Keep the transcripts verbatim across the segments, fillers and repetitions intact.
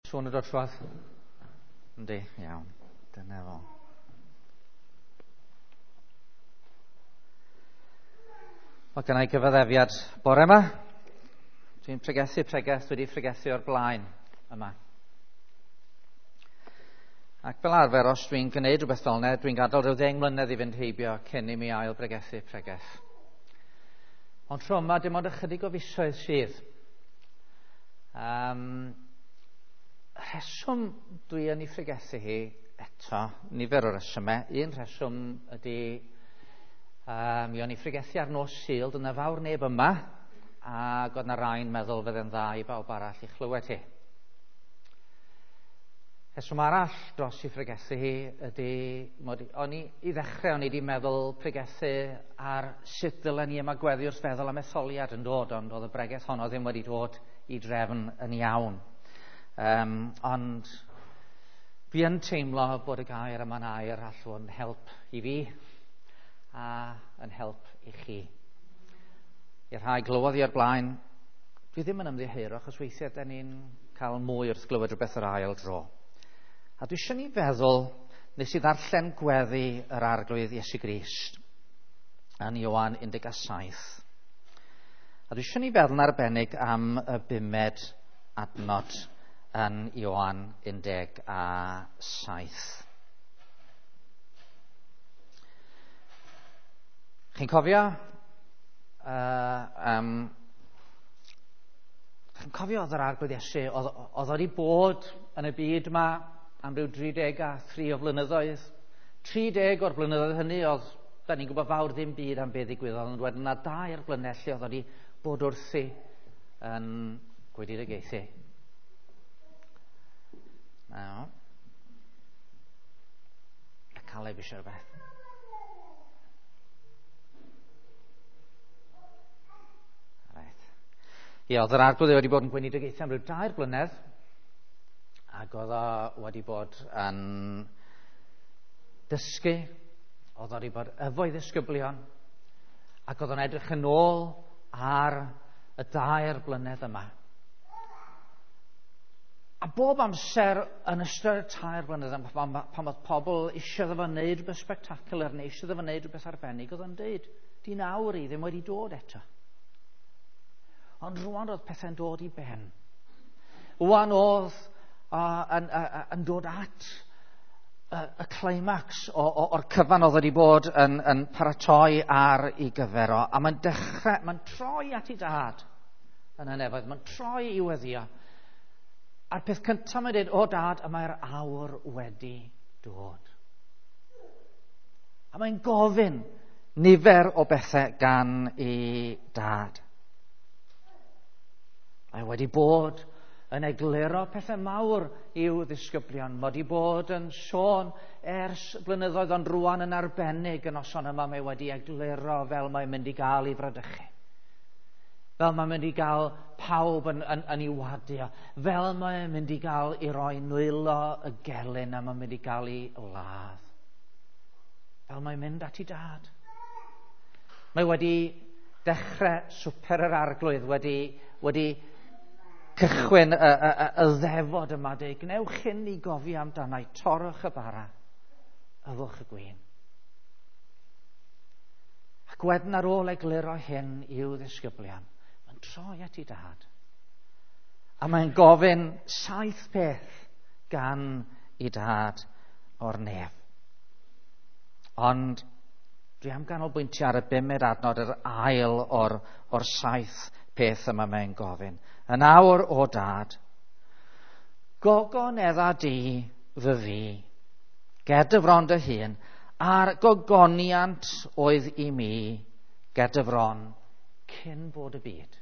Sŵn yn dod trwadd? Yndi, iawn. Dyna fo. Mae gen i gyfaddefiad bore yma. Dwi'n pregethu pregeth wedi pregethu o'r blaen yma. Ac fel arfer, os dwi'n gwneud rhywbeth fel yna, dwi'n gadael rhyw ddeng mlynedd i fynd heibio cyn i mi ail bregethu pregeth. Ond tro yma, dim ond ychydig o fisoedd sydd. Um, rheswm dwi yn ei phregethu hi eto, nifer o resymau. Un rheswm ydy, um, mi o'n i phregethu ar nos Sul, dyna fawr neb yma, ac oedd na rai'n meddwl fydde'n dda i bawb arall i chlywed hi. Rheswm arall dros i phregethu hi ydy, mod i, o'n i, i ddechrau o'n i wedi meddwl pregethu ar sut ddylen ni ymagweddu wrth feddwl am etholiad yn dod, ond oedd y bregeth honno ddim wedi dod i drefn yn iawn. Um, ond fi yn teimlo bod y gair yma'n air all fod yn help i fi a yn help i chi. I'r rhai glywodd i o'r blaen, dwi ddim yn ymddiheuro achos weithiau da ni'n cael mwy wrth glywed rhywbeth yr ail dro. A dwi eisiau ni feddwl, nes i ddarllen gweddi yr Arglwydd Iesu Grist yn Ioan un deg saith. A dwi eisiau ni feddwl yn arbennig am y bumed adnod yn Ioan un deg saith. Chi'n cofio? Uh, um, chi'n cofio oedd yr Arglwydd Iesu, oedd, oedd wedi bod yn y byd yma am ryw dri deg a thri o flynyddoedd. tri deg o'r blynyddoedd hynny oedd, da ni'n gwybod fawr ddim byd am beth ddigwyddodd, ond wedyn yna dair blynedd lle oedd wedi bod wrthi yn gweinidagaethu. Nawr, a Caleb eisiau rhywbeth. Reit. Ie, oedd yr Arglwydd wedi bod yn gweinidogaethu am ryw dair blynedd, ac oedd o wedi bod yn dysgu, oedd o wedi bod efo'i ddisgyblion, ac oedd o'n edrych yn ôl ar y dair blynedd yma. A bob amser yn ystod y tair blynedd yma, pan, pan oedd pobl eisiau iddo fo wneud rhywbeth spectacular neu eisiau iddo fo wneud rhywbeth arbennig, oedd o'n deud, di nawr i ddim wedi dod eto. Ond rwan oedd pethau'n dod i ben. Rwan oedd uh, yn, uh, yn dod at y, y climax o, o, o'r cyfan oedd wedi bod yn, yn paratoi ar ei gyfer o. A mae'n dechrau, mae'n troi at ei dad yn y nefoedd, mae'n troi i weddio. A'r peth cyntaf mae'n dweud, o dad, y mae'r awr wedi dod. A mae'n gofyn nifer o bethau gan ei dad. Mae wedi bod yn egluro pethau mawr i'w ddisgyblion. Mae wedi bod yn sôn ers blynyddoedd, ond rwan yn arbennig y noson yma mae wedi egluro fel mae'n mynd i gael ei fradychu. Fel mae'n mynd i gael pawb yn, yn, yn ei wadio. Fel mae'n mynd i gael ei roi nwylo y gelyn a mae'n mynd i gael ei ladd. Fel mae'n mynd at ei dad. Mae wedi dechrau swper yr Arglwydd, wedi, wedi cychwyn y, y, y, y ddefod yma, dweud, gwnewch hyn i gofio amdanau, torrwch y bara, yfwch y gwin. Ac wedyn ar ôl egluro hyn i'w ddisgyblion, mae'n troi at ei dad. A mae'n gofyn saith peth gan ei dad o'r nef. Ond dwi am ganolbwyntio ar y bumed adnod, yr ail o'r, o'r saith peth yma mae'n gofyn. Yn awr, o dad, gogonedda di fy fi, ger dy fron dy hun, a'r gogoniant oedd i mi ger dy fron cyn bod y byd.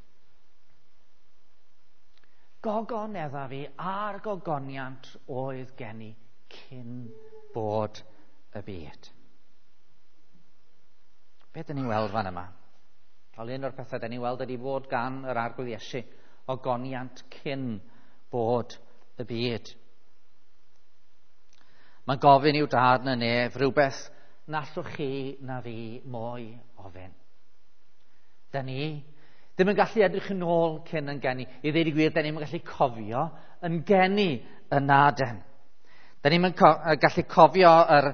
Gogonedda fi a'r gogoniant oedd gen i cyn bod y byd. Be dyn ni'n weld fan yma? Wel, un o'r pethau dyn ni'n weld ydy fod gan yr Arglwydd Iesu ogoniant cyn bod y byd. Mae'n gofyn i'w dad yn y nef rhywbeth na allwch chi na fi mwy ofyn. Da ni ddim yn gallu edrych yn ôl cyn yn geni. I ddweud y gwir, da ni'n gallu cofio yn geni yn aden. Da ni'n co gallu cofio yr,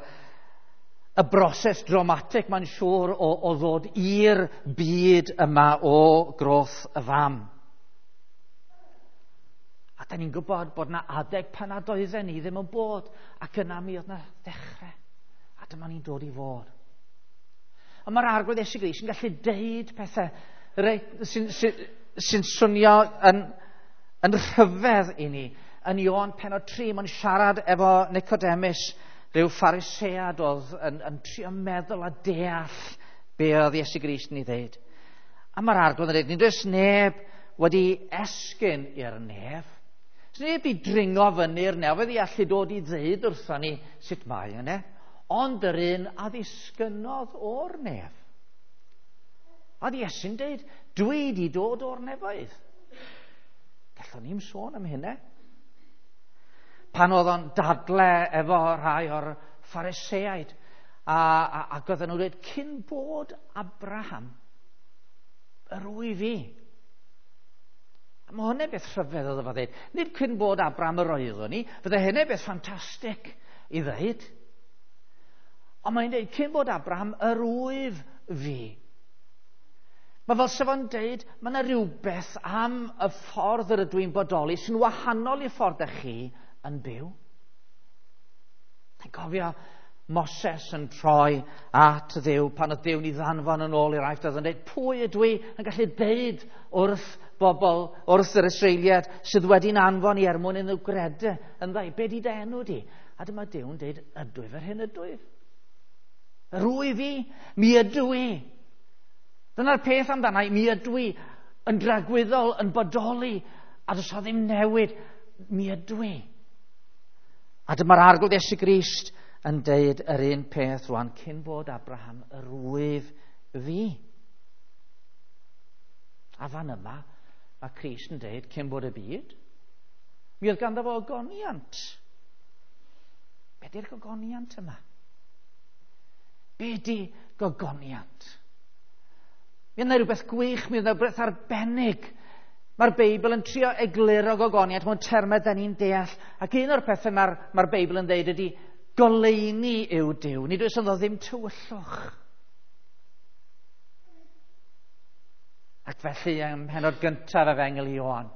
y broses dramatig, mae'n siŵr, o, o ddod i'r byd yma o groth y fam. A da ni'n gwybod bod na adeg pan nad oedden ni ddim yn bod, ac yna mi oedd na ddechrau. A dyma ni'n dod i fod. A mae'r Arglwydd Iesu Grist yn gallu deud pethau sy'n sy, sy swnio yn, yn rhyfedd i ni. Yn Ioan pennod tri, mae'n siarad efo Nicodemus, rhyw Pharisead oedd yn, yn trio meddwl a deall be oedd Iesu Grist yn ei ddeud. A mae'r Arglwydd yn dweud, nid oes neb wedi esgyn i'r nef. Neb wedi dringo fyny'r nefoedd i allu dod i ddeud wrthon ni sut mae yna, ond yr un a ddisgynnodd o'r nef. A oedd Iesu'n deud, dwi di dod o'r nefoedd. Gallwn ni'm sôn am hynna. Pan oedd o'n dadle efo rhai o'r Phariseaid, a, a, ac oedden nhw'n dweud, cyn bod Abraham, yr wyf fi. A mae hwnna'n beth rhyfedd oedd efo dweud. Nid cyn bod Abraham yr oeddwn ni, fydde hynny'n beth ffantastig i ddweud. Ond mae'n dweud, cyn bod Abraham yr wyf fi. Mae fel sef o'n dweud, mae yna rhywbeth am y ffordd yr ydw i'n bodoli sy'n wahanol i'r ffordd ych chi yn byw. Dwi'n cofio Moses yn troi at Dduw pan oedd Duw'n ei ddanfon yn ôl i'r Aifft, oedd yn dweud, pwy ydw i yn gallu deud wrth bobl, wrth yr Israeliad sydd wedi'n anfon i er mwyn iddyn nhw gredu yn dda, be di dy enw di? A dyma Duw'n dweud, ydw i fel hyn ydw i. Yr wyf fi, mi ydw i. Dyna'r peth amdana i, mi ydw i yn dragwyddol, yn bodoli, a does o ddim newid, mi ydw i. A dyma'r Arglwydd Iesu Grist yn deud yr un peth rwan, cyn bod Abraham, yr wyf fi. A fan yma, mae Crist yn deud, cyn bod y byd, mi oedd ganddo fo ogoniant. Be di'r gogoniant yma? Be di gogoniant? Mi oedd yna rhywbeth gwych, mi oedd yna rhywbeth arbennig. Mae'r Beibl yn trio egluro gogoniant mewn termau da ni'n deall. Ac un o'r pethau mae'r mae Beibl yn dweud ydy goleuni yw Duw. Nid oes ynddo ddim tywyllwch. Ac felly ym mhennod gyntaf Efengyl Ioan,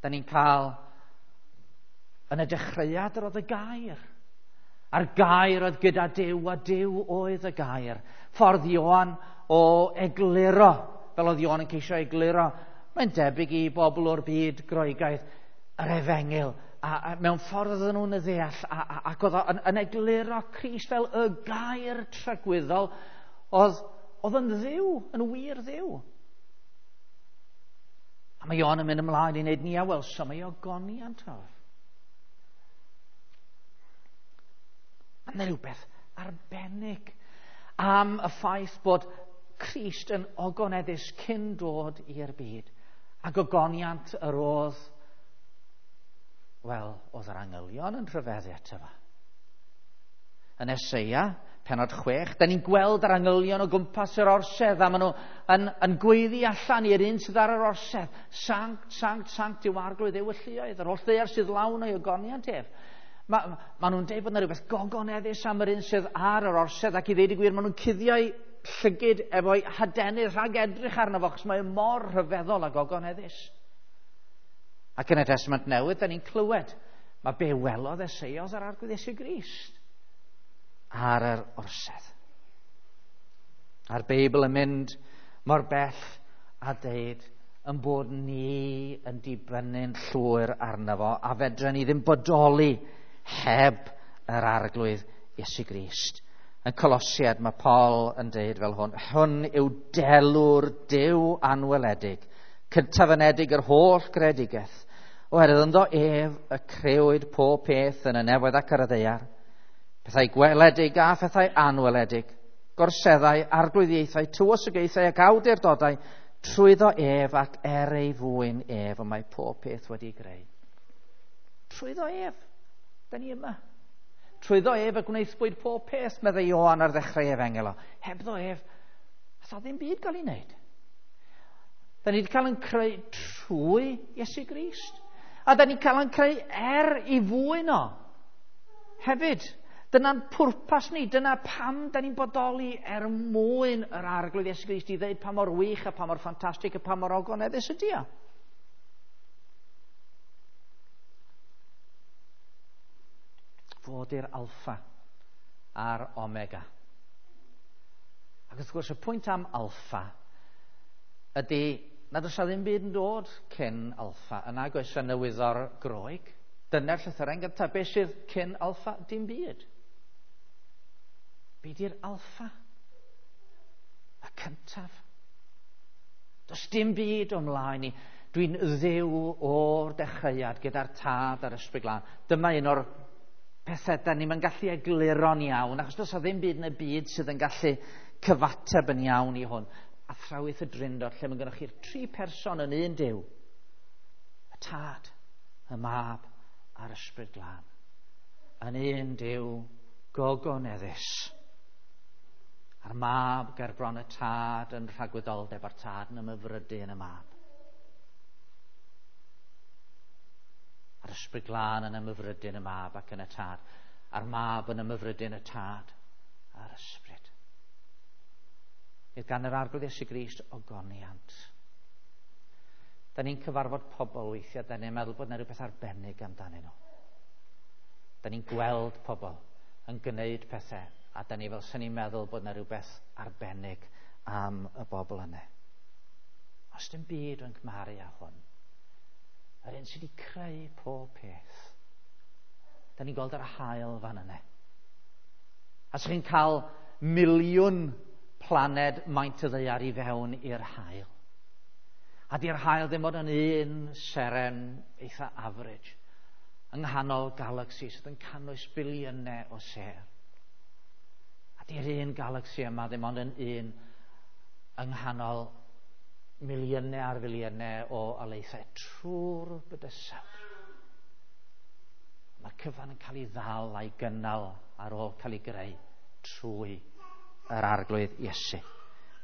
da ni'n cael yn y dechreuad yr oedd y gair. A'r gair oedd gyda Duw, a Duw oedd y gair. Ffordd Ioan o egluro, fel oedd Ioan yn ceisio egluro, mae'n debyg i bobl o'r byd Groegaidd, yr Efengyl, a, a mewn ffordd oedden nhw'n y ddeall, a, a, ac oedd yn, yn egluro Crist fel y gair tragwyddol, oedd, oedd yn Dduw, yn wir Dduw. A mae Ioan yn mynd ymlaen i wneud ni a welsom ei ogoniant oedd. Mae yna rhywbeth arbennig am y ffaith bod Crist yn ogoneddus cyn dod i'r byd. A gogoniant yr oedd, wel, oedd yr angylion yn rhyfeddu ato fo. Yn Eseia, pennod chwech, da ni'n gweld yr angylion o gwmpas yr orsedd, a maen nhw yn, yn gweiddi allan i'r un sydd ar yr orsedd. Sanct, sanct, sanct yw Arglwydd Dduw y lluoedd, yr holl ddaear sydd lawn o'i ogoniant ef. Mae ma nhw'n deud bod yna rhywbeth gogoneddus am yr un sydd ar yr orsedd, ac i ddeud y gwir, maen nhw'n cuddio'i llygid efo'i hadenydd rhag edrych arno fo, achos mae mor rhyfeddol a gogoneddus. Ac yn y Testament Newydd, da ni'n clywed, mae be welodd Eseia oedd yr Arglwydd Iesu Grist ar yr orsedd. A'r Beibl yn mynd mor bell a deud yn bod ni yn dibynnu'n llwyr arno fo, a fedra ni ddim bodoli heb yr Arglwydd Iesu Grist. Yn Colosiad mae Paul yn deud fel hwn, hwn yw delw'r Duw anweledig, cyntafynedig yr holl gredigaeth, oherwydd ynddo ef y crëwyd pob peth yn y nefoedd ac ar y ddaear, pethau gweledig a phethau anweledig, gorseddau, arglwyddiaethau, tywysogaethau ac awdurdodau, trwyddo ef ac er ei fwyn ef, y mae pob peth wedi greu. Trwyddo ef, da ni yma. Trwyddo ef y gwnaethpwyd pob peth, meddai Ioan ar ddechrau Efengyl o. Hebddo ef, a ddim byd gael ei wneud. Da ni wedi cael yn creu trwy Iesu Grist. A da ni'n cael ein creu er i fwyn o. Hefyd, dyna'n pwrpas ni, dyna pam da ni'n bodoli er mwyn yr Arglwydd Iesu Grist i ddeud pa mor wych a pa mor ffantastig a pa mor ogoneddus ydi o. Fod i'r alffa a'r omega. Ac wrth gwrs y pwynt am alffa ydy nad oes 'na ddim byd yn dod cyn alffa. Yna oes yna wyddor Groeg. Dyna'r llythyren gyntaf. Be sydd cyn alffa? Dim byd. Be di'r alffa? Y cyntaf. Does dim byd o mlaen i. Dwi'n ddew o'r dechreuad gyda'r Tad a'r Ysbryd Glân. Dyma un o'r pethau da ni'n gallu egluro'n iawn, achos does 'na ddim byd yn y byd sydd yn gallu cyfateb yn iawn i hwn. Athrawiaeth y Drindod, lle mae gennych chi'r tri person yn un Duw. Y Tad, y Mab a'r Ysbryd Glân. Yn un Duw gogoneddus. A'r Mab ger bron y Tad yn rhagwyddoldeb, a'r Tad yn ymhyfrydu yn y Mab. A'r Ysbryd Glân yn ymhyfrydu yn y Mab ac yn y Tad. A'r Mab yn ymhyfrydu yn y Tad a'r Ysbryd. Bydd gan yr Arglwydd Iesu Grist ogoniant. Da ni'n cyfarfod pobl weithiau, da ni'n meddwl bod yna rhywbeth arbennig amdanyn nhw. Da ni'n gweld pobl yn gwneud pethau, a da ni fel sy'n ni'n meddwl bod yna rhywbeth arbennig am y bobl yna. Os dim byd yn cymharu â hwn, yr un sydd wedi creu pob peth. Da ni'n gweld yr haul fan yna. A sa'ch chi'n cael miliwn planed maint y ddaear i fewn i'r haul. A di'r haul ddim ond yn un seren eitha average yng nghanol galaxy sydd yn cynnwys biliynau o sêr. A di'r un galaxy yma ddim ond yn un yng nghanol miliynau ar filiynau o alaethau trwy'r bydysawd. Mae'r cyfan yn cael ei ddal a'i gynnal ar ôl cael ei greu trwy yr Arglwydd Iesu.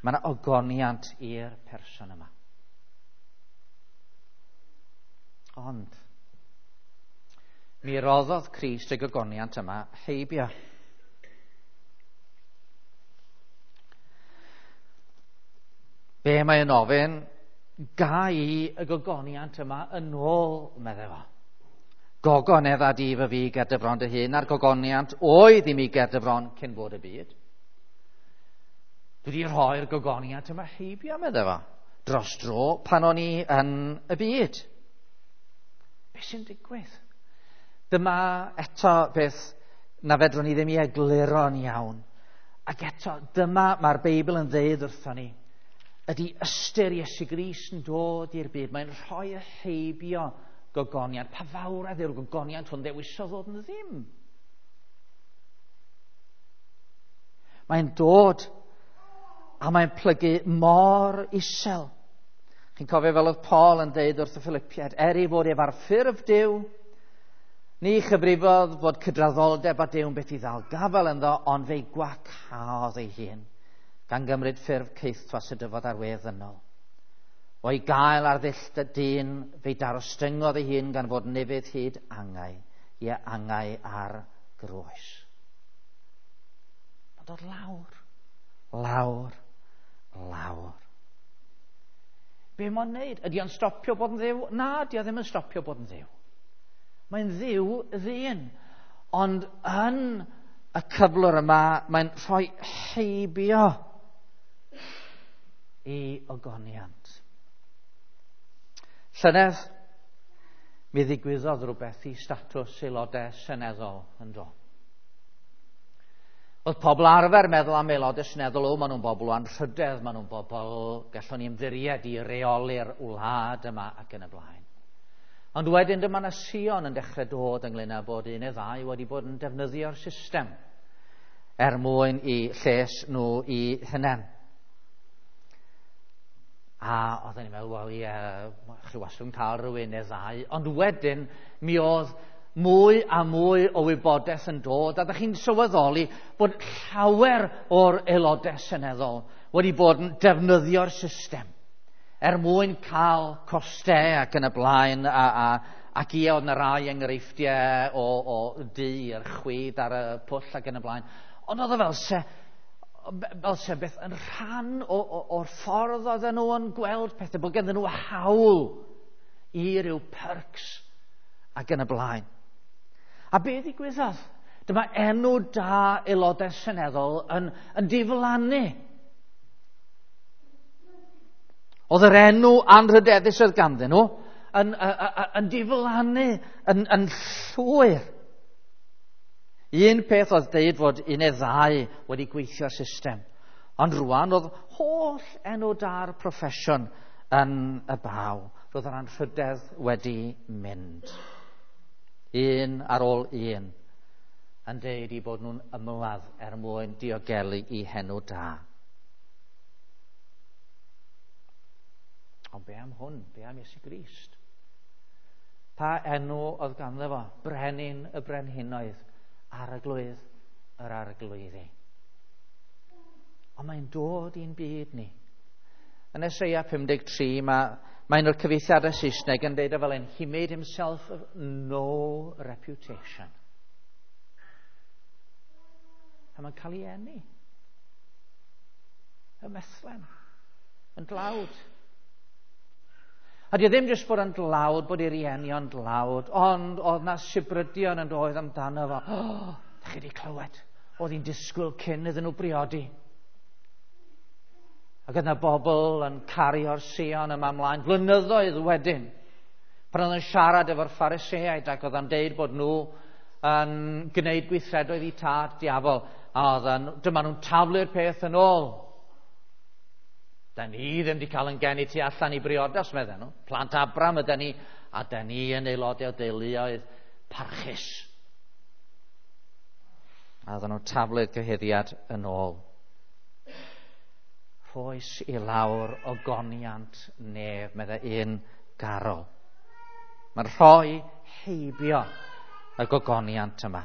Mae yna ogoniant i'r person yma. Ond, mi roddodd Crist y gogoniant yma heibio. Be mae'n ofyn? Ga i y gogoniant yma yn ôl, meddai fo. Gogonedd a di fy fi ger dy fron dy hun, a'r gogoniant oedd i mi ger dy fron cyn bod y byd. Dwi wedi rhoi'r gogoniant yma heibio, meddai fo, dros dro pan o'n i yn y byd. Be sy'n digwydd? Dyma eto beth na fedrwn ni ddim i egluro'n iawn. Ac eto, dyma mae'r Beibl yn ddeud wrthon ni, ydy ystyr Iesu Grist yn dod i'r byd. Mae'n rhoi y heibio gogoniant. Pa fawredd yw'r gogoniant hwn ddewisodd ddod yn ddim? Mae'n dod a mae'n plygu mor isel. Chi'n cofio fel oedd Paul yn deud wrth y Philippiaid, er ei fod ef ar ffurf Duw, ni chyfrifodd fod cydraddoldeb â Duw yn beth i ddal gafael ynddo, ond fe'i gwacaodd ei hun, gan gymryd ffurf caethwas y dyfod ar wedd ddynol. O'i gael ar ddull dyn, fe'i darostyngodd ei hun gan fod nefydd hyd angau, ie angau ar groes. Mae'n dod lawr, lawr, lawr. Be mae'n wneud? Ydy o'n stopio bod yn ddiw? Na, ydy o ddim yn stopio bod yn ddiw. Mae'n ddiw ddyn. Ond yn y cyflwr yma, mae'n rhoi heibio i ogoniant. Llynedd, mi ddigwyddodd rhywbeth i statws aelodau seneddol yn do. Oedd pobl arfer meddwl am aelodau seneddol, o, maen nhw'n bobl o anrhydedd, maen nhw'n bobl gallwn ni ymddiried i reoli'r wlad yma ac yn y blaen. Ond wedyn dyma na sïon yn dechrau dod ynglyn â bod un neu ddau wedi bod yn defnyddio'r system er mwyn i lles nhw i hunain. A oedden ni'n meddwl, wel ie, chi wastad yn cael rhywun neu ddau. Ond wedyn mi oedd mwy a mwy o wybodaeth yn dod, a ddech chi'n sylweddoli bod llawer o'r aelodau seneddol wedi bod yn defnyddio'r system er mwyn cael costau ac yn y blaen a, a, Ac ie, oedd yna rai enghreifftiau o, o du i'r chwith ar y pwll ac yn y blaen. Ond oedd o fel se, fel se beth yn rhan o, o, o'r ffordd oedden nhw yn gweld pethau, bod ganddyn nhw hawl i ryw perks ac yn y blaen. A be ddigwyddodd? Dyma enw da aelodau seneddol yn, yn diflannu. Oedd yr enw anrhydeddus oedd ganddyn nhw yn, yn, yn diflannu, yn, yn llwyr. Un peth oedd deud fod un neu ddau wedi gweithio'r system. Ond rwan oedd holl enw da'r proffesiwn yn y baw. Roedd yr anrhydedd wedi mynd. Un ar ôl un yn deud i bod nhw'n ymladd er mwyn diogelu i henw da. Ond be am hwn? Be am Iesu Grist? Pa enw oedd ganddo fo? Brenin y brenhinoedd, arglwydd yr arglwyddi. Ond mae'n dod i'n byd ni. Yn Eseia pum deg tri, mae, mae un o'r cyfieithiadau Saesneg yn deud o fel hyn, he made himself of no reputation. A mae'n cael ei eni. Ym Methlehem. Yn dlawd. A di o ddim jyst bod yn dlawd, bod ei rieni o'n dlawd, ond oedd na sibrydion yn doedd amdano fo. Oh, da chi wedi clywed? Oedd hi'n disgwyl cyn iddyn nhw briodi. Ac oedd na bobl yn cario'r Sion yma ymlaen blynyddoedd wedyn. Pan oedd yn siarad efo'r Phariseaid ac oedd yn deud bod nhw yn gwneud gweithredoedd i tad diafol. A oedd yn, dyma nhw'n taflu'r peth yn ôl. Da ni ddim wedi cael yn geni tu allan i briodas, medden nhw. Plant Abram ydy ni, a da ni yn aelodau o deuluoedd parchus. A oedden nhw'n taflu'r cyhuddiad yn ôl. Rhoes i lawr ogoniant nef, meddai un garol. Mae'n rhoi heibio y gogoniant yma.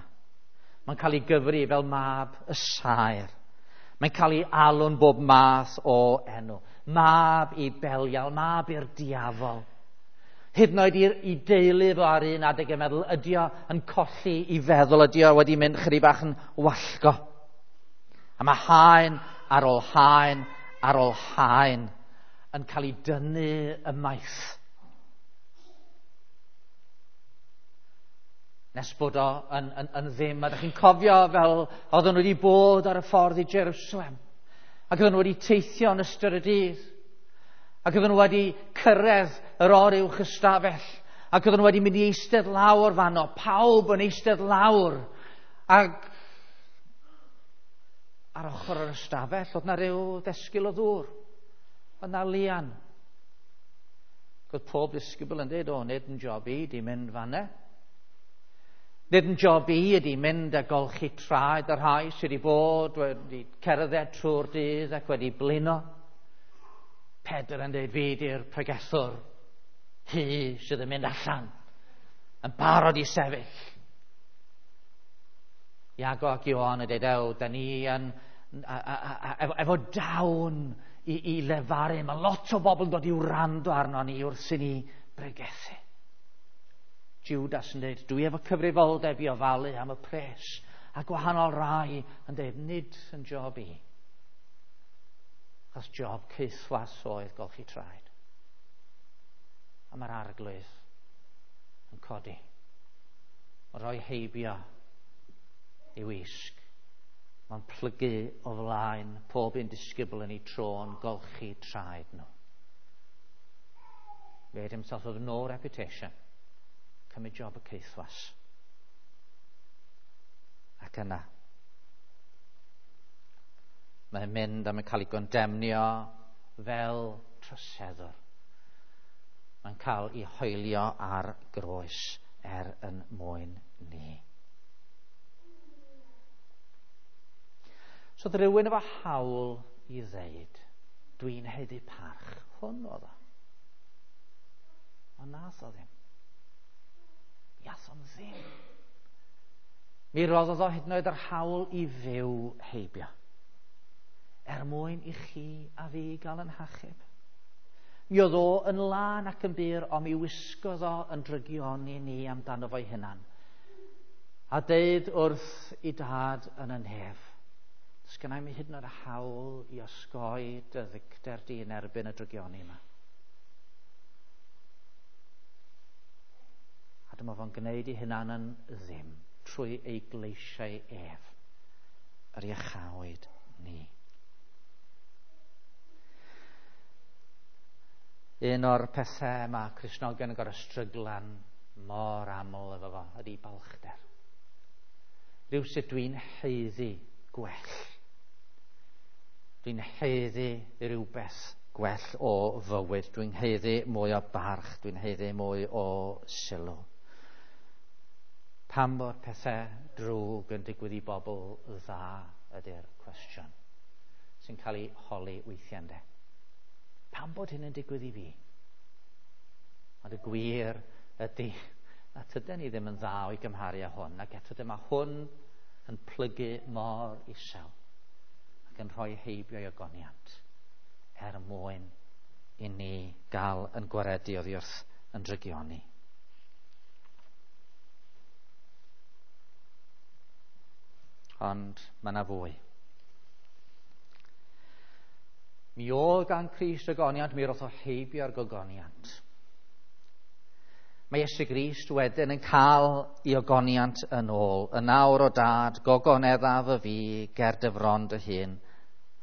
Mae'n cael ei gyfri fel mab y saer. Mae'n cael ei alw'n bob math o enw. Mab i Belial, mab i'r diafol. Hyd yn oed i deulu fo ar un adeg yn meddwl, ydy o yn colli i feddwl, ydy o wedi mynd chydig bach yn wallgo. A mae haen ar ôl haen ar ôl haen yn cael ei dynnu ymaith. Nes bod o yn, yn, yn ddim. A ydych chi'n cofio fel oedden nhw wedi bod ar y ffordd i Jerusalem. Ac oedden nhw wedi teithio yn ystod y dydd. Ac oedden nhw wedi cyrraedd yr oruwch ystafell. Ac oedden nhw wedi mynd i eistedd lawr fanno. Pawb yn eistedd lawr. Ac ar ochr yr ystafell oedd na ryw ddesgyl o ddŵr. Oedd na lian. Ac oedd pob disgybl yn dweud, o, nid yn job i, di mynd fanna. Nid yn job i ydy mynd a golchi traed y rhai sydd wedi bod, wedi cerdded trwy'r dydd ac wedi blino. Pedr yn dweud, fi di'r pregethwr, hi sydd yn mynd allan, yn barod i sefyll. Iago ac Ioan yn dweud, ew, da ni yn, a, a, a, efo, efo dawn i, i lefaru. Mae lot o bobl yn dod i wrando arno ni wrth i ni bregethu. Judas yn dweud, dwi efo cyfrifoldeb i ofalu am y pres. A gwahanol rai yn dweud, nid yn job i. Achos job caethwas oedd golchi traed. A mae'r arglwydd yn codi. Mae'n rhoi heibio i wisg. Mae'n plygu o flaen pob un disgybl yn ei tro'n golchi traed nhw. Made himself of no reputation. Cymryd job y caethwas. Ac yna, mae'n mynd a mae'n cael ei gondemnio fel troseddwr. Mae'n cael ei hoelio ar groes er yn mwyn ni. So oedd rhywun efo hawl i ddeud, dwi'n haeddu parch. Hwn oedd o. Ond nath o ddim. Iath o'n ddim. Mi roddodd o hyd yn oed yr hawl i fyw heibio. Er mwyn i chi a fi gael yn hachub. Mi oedd o yn lân ac yn bur, ond mi wisgodd o yn drygioni ni amdano fo'i hunan. A deud wrth i dad yn y nef, does gynna i'm hyd yn oed y hawl i osgoi dy ddicter di yn erbyn y drygioni yma. A dyma fo'n gwneud ei hunan yn ddim trwy ei gleisiau ef, yr iachawyd ni. Un o'r pethau mae Cristnogion yn gorfod stryglan mor aml efo fo ydy balchder. Rhywsut dwi'n haeddu gwell. Dwi'n haeddu rhywbeth gwell o fywyd. Dwi'n haeddu mwy o barch. Dwi'n haeddu mwy o sylw. Pam bod pethau drwg yn digwydd i bobl dda ydy'r cwestiwn sy'n cael ei holi weithiau, ynde. Pam bod hyn yn digwydd i fi? Ond y gwir ydy na tyden ni ddim yn dda o'i gymharu â hwn, ac eto dyma hwn yn plygu mor isel ac yn rhoi heibio i ogoniant er mwyn i ni gael yn gwaredu oddi wrth yn drygioni. Ond mae yna fwy. Mi oedd gan Crist ogoniant, mi roth o heibio'r gogoniant. Mae Iesu Grist wedyn yn cael ei ogoniant yn ôl. Y nawr o dad, gogoneddaf y fi ger dy fron dy hun,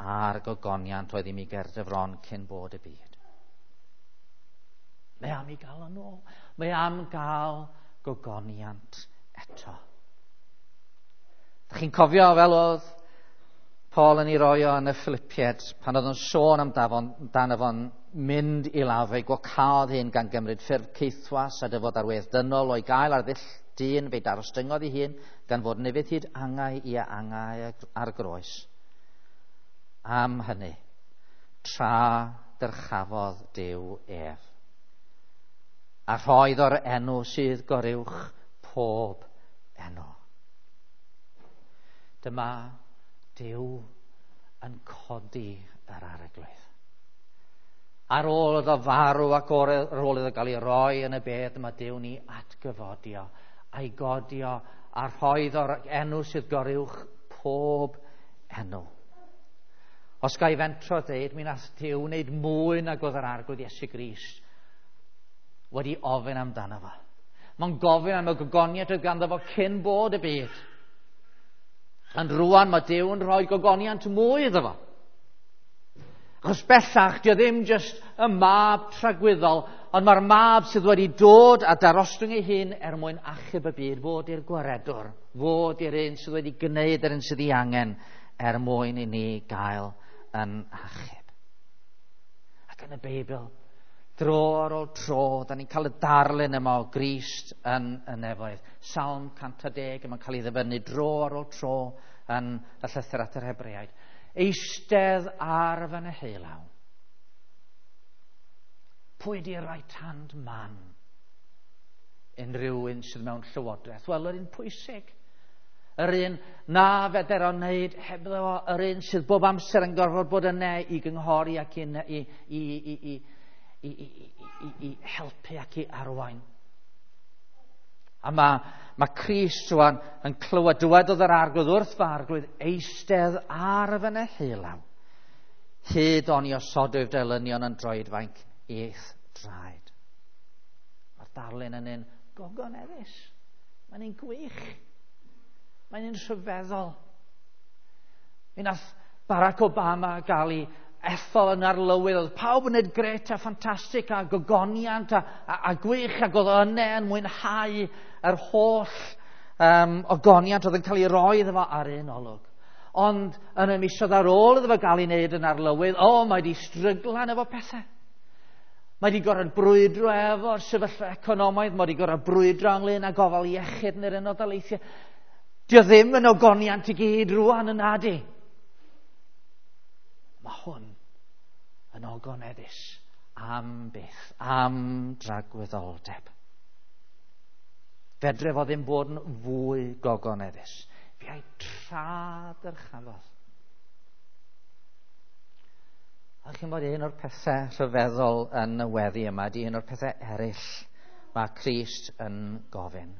a'r gogoniant oedd i mi ger dy fron cyn bod y byd. Mae am i gael yn ôl. Mae am gael gogoniant eto. Dach chi'n cofio fel oedd Paul yn ei roi o yn y Philippiaid, pan oedd yn sôn amdano fo'n mynd i lawr, fe'i gwacaodd hyn gan gymryd ffurf caethwas a dyfod ar wedd dynol o'i gael ar ddull dyn, fe'i darostyngodd ei hun gan fod yn ufudd hyd angau i angau ar groes. Am hynny, tra dyrchafodd Duw ef, a rhoedd o'r enw sydd goruwch pob enw. Dyma Duw yn codi yr arglwydd. Ar ôl iddo farw ac ar ôl iddo gael ei roi yn y bedd, mae Duw ni atgyfodio a'i godio a rhoedd o'r enw sydd goruwch pob enw. Os ga i fentro dweud, mi nath Duw wneud mwy nag oedd yr arglwydd Iesu Grist wedi ofyn amdano fo. Mae'n gofyn am y gogoniant oedd ganddo fo cyn bod y byd. Ond rwan mae Duw yn rhoi gogoniant mwy iddo fo. Achos bellach, dio ddim jyst y mab tragwyddol, ond mae'r mab sydd wedi dod a darostwng ei hun er mwyn achub y byd, fod i'r gwaredwr, fod i'r un sydd wedi gwneud yr un sydd ei angen er mwyn i ni gael yn achub. Ac yn y Beibl, dro ar ôl tro, da ni'n cael y darlun yma o Grist yn y nefoedd. Salm cant a deg, yma'n cael ei ddyfynnu dro ar ôl tro yn y llythyr at yr Hebreaid. Eistedd ar fy neheullaw. Pwy di'r right hand man? Unrhyw un sydd mewn llywodraeth. Wel, yr un pwysig. Yr un na feder o wneud hebddo fo, yr un sydd bob amser yn gorfod bod yna i gynghori ac i, i, i, i, i I, i, i, i helpu ac i arwain. A mae, mae Crist rwan yn clywed, dywedodd yr arglwydd wrth fy arglwydd, eistedd ar fy neheullaw, hyd oni osodwyf dy elynion yn droedfainc i'th draed. Mae'r darlun yn un gogoneddus. Mae'n un gwych. Mae'n un rhyfeddol. Mi nath Barack Obama gael ei ethol yn arlywydd, oedd pawb yn neud gret a ffantastig a gogoniant a, a, a gwych, ac oedd yna yn mwynhau yr holl um, ogoniant oedd yn cael ei roi iddo fo ar un olwg. Ond yn y misoedd ar ôl iddo fo gael ei wneud yn arlywydd, o, mae di stryglan efo pethau. Mae di gorfod brwydro efo'r sefyllfa economaidd, mae di gorfod brwydro ynglyn â gofal iechyd yn yr Unol Daleithiau. Dio ddim yn ogoniant i gyd rwan yn nadi. Mae hwn yn ogoneddus am byth, am dragwyddoldeb. Fedre fo ddim bod yn fwy gogoneddus. Fe a'i tra dyrchafodd. A chi'n bod un o'r pethau rhyfeddol yn y weddi yma, di un o'r pethau eraill mae Crist yn gofyn.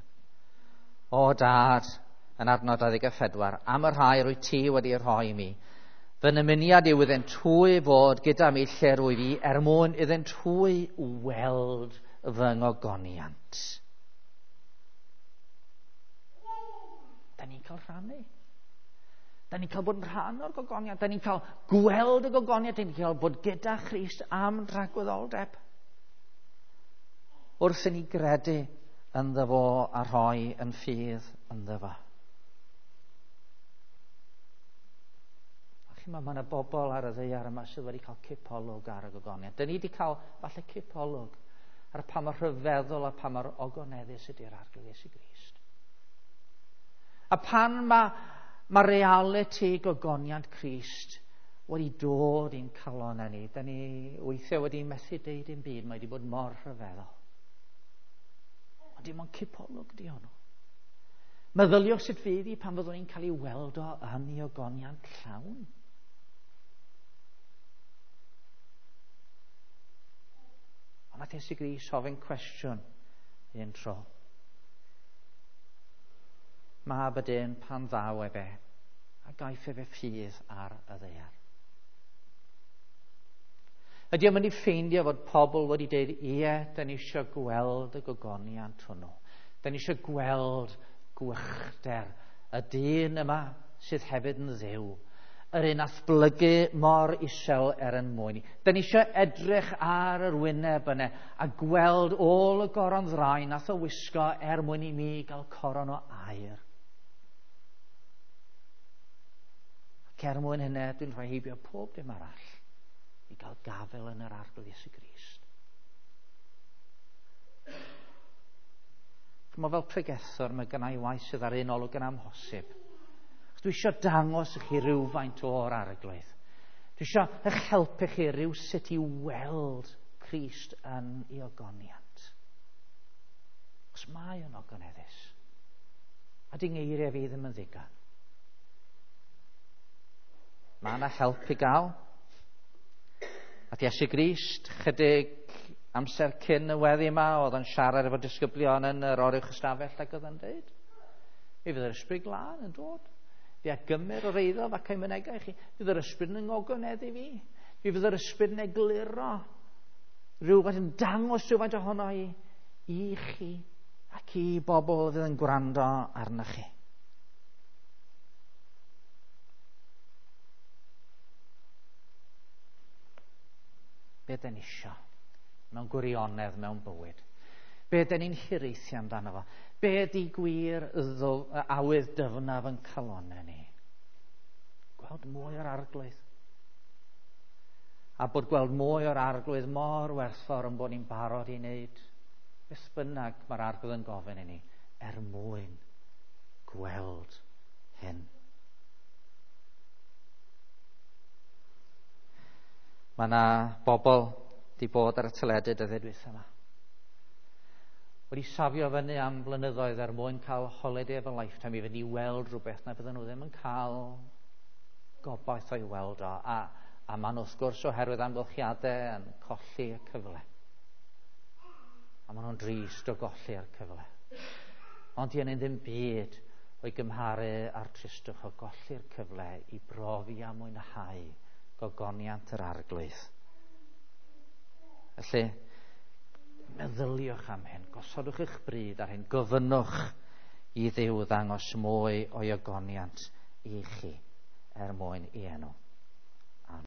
O Dad, yn adnod dau ddeg a phedwar, am y rhai rwy ti wedi rhoi i mi, fy nymuniad yw iddynt hwy fod gyda mi lle rwyf i, er mwyn iddynt hwy weld fy ngogoniant. Da ni'n cael rhannu. Da ni'n cael bod yn rhan o'r gogoniant. Da ni'n cael gweld y gogoniant. Da ni'n cael bod gyda Christ am dragwyddoldeb. Wrth i ni gredu ynddo fo a rhoi yn ffydd ynddo fo. A chi'n meddwl, mae yna bobl ar y ddaear yma sydd wedi cael cipolwg ar y gogoniant. Da ni wedi cael falle cipolwg ar pa mor rhyfeddol a pa mor ogoneddus ydy'r Arglwydd Iesu Grist. A pan mae, mae realiti gogoniant Crist wedi dod i'n calon ni, da ni weithiau wedi methu deud dim byd, mae wedi bod mor rhyfeddol. Ond dim ond cipolwg di hwnnw. Meddyliwch sut fydd hi pan fyddwn ni'n cael ei weld o yn ei ogoniant llawn. Ond nath Iesu Grist ofyn cwestiwn un tro. Mab y dyn pan ddaw efe, a gaiff efe ffydd ar y ddaear. Ydy o'n mynd i ffeindio fod pobl wedi dweud, ie, da ni eisiau gweld y gogoniant hwnnw. Da ni eisiau gweld gwychder y dyn yma sydd hefyd yn Dduw. Yr un athblygu mor isel er yn mwyn. Da ni eisiau edrych ar yr wyneb yna a gweld ôl y goron ddraen nath o wisgo er mwyn i mi gael coron o aur. Ac er mwyn hynny, dwi'n rhoi heibio pob dim arall i gael gafel yn yr Arglwydd Iesu Grist. Ch'mo, fel pregethwr, mae gynna i waith sydd ar un olwg yn amhosib. Dwi eisiau dangos i chi rywfaint o'r Arglwydd. Dwi eisiau eich helpu chi rywsut i weld Crist yn ei ogoniant. Os mae o'n ogoneddus, a di ngeiriau fi ddim yn ddigon. Mae yna help i gael. A Iesu Grist, chydig amser cyn y weddi yma, oedd yn siarad efo disgyblion yn yr oruwch ystafell ac oedd yn dweud, mi fydd yr Ysbryd Glân yn dod. Fi a gymryd o'r eiddo ac ei mynegau i chi. Fydd yr Ysbryd yn ngogoneddu fi. Mi fydd yr Ysbryd yn egluro rhywfaint, yn dangos rhywfaint ohono i, i chi ac i bobl fydd yn gwrando arnoch chi. Be dyn ni isio mewn gwirionedd, mewn bywyd? Be dyn ni'n hiraethu amdano fo? Be ydi gwir awydd dyfnaf yn calonnau ni? Gweld mwy o'r Arglwydd. A bod gweld mwy o'r Arglwydd mor werthfawr yn bod ni'n barod i wneud beth bynnag mae'r Arglwydd yn gofyn i ni er mwyn gweld hyn. Mae yna bobl di bod ar y teledu dyddiau dwytha yma. Wedi safio fyny am blynyddoedd er mwyn cael holiday of a lifetime i fynd i weld rhywbeth na bydden nhw ddim yn cael gobaith o'i weld o. A, a maen nhw wrth gwrs oherwydd amgylchiadau yn colli y cyfle. A maen nhw'n drist o golli'r cyfle. Ond di hynny ddim byd o'i gymharu â'r tristwch o golli'r cyfle i brofi a mwynhau gogoniant yr Arglwydd. Felly, meddyliwch am hyn, gosodwch eich bryd ar hyn, gofynnwch i Dduw ddangos mwy o'i ogoniant i chi er mwyn i enw.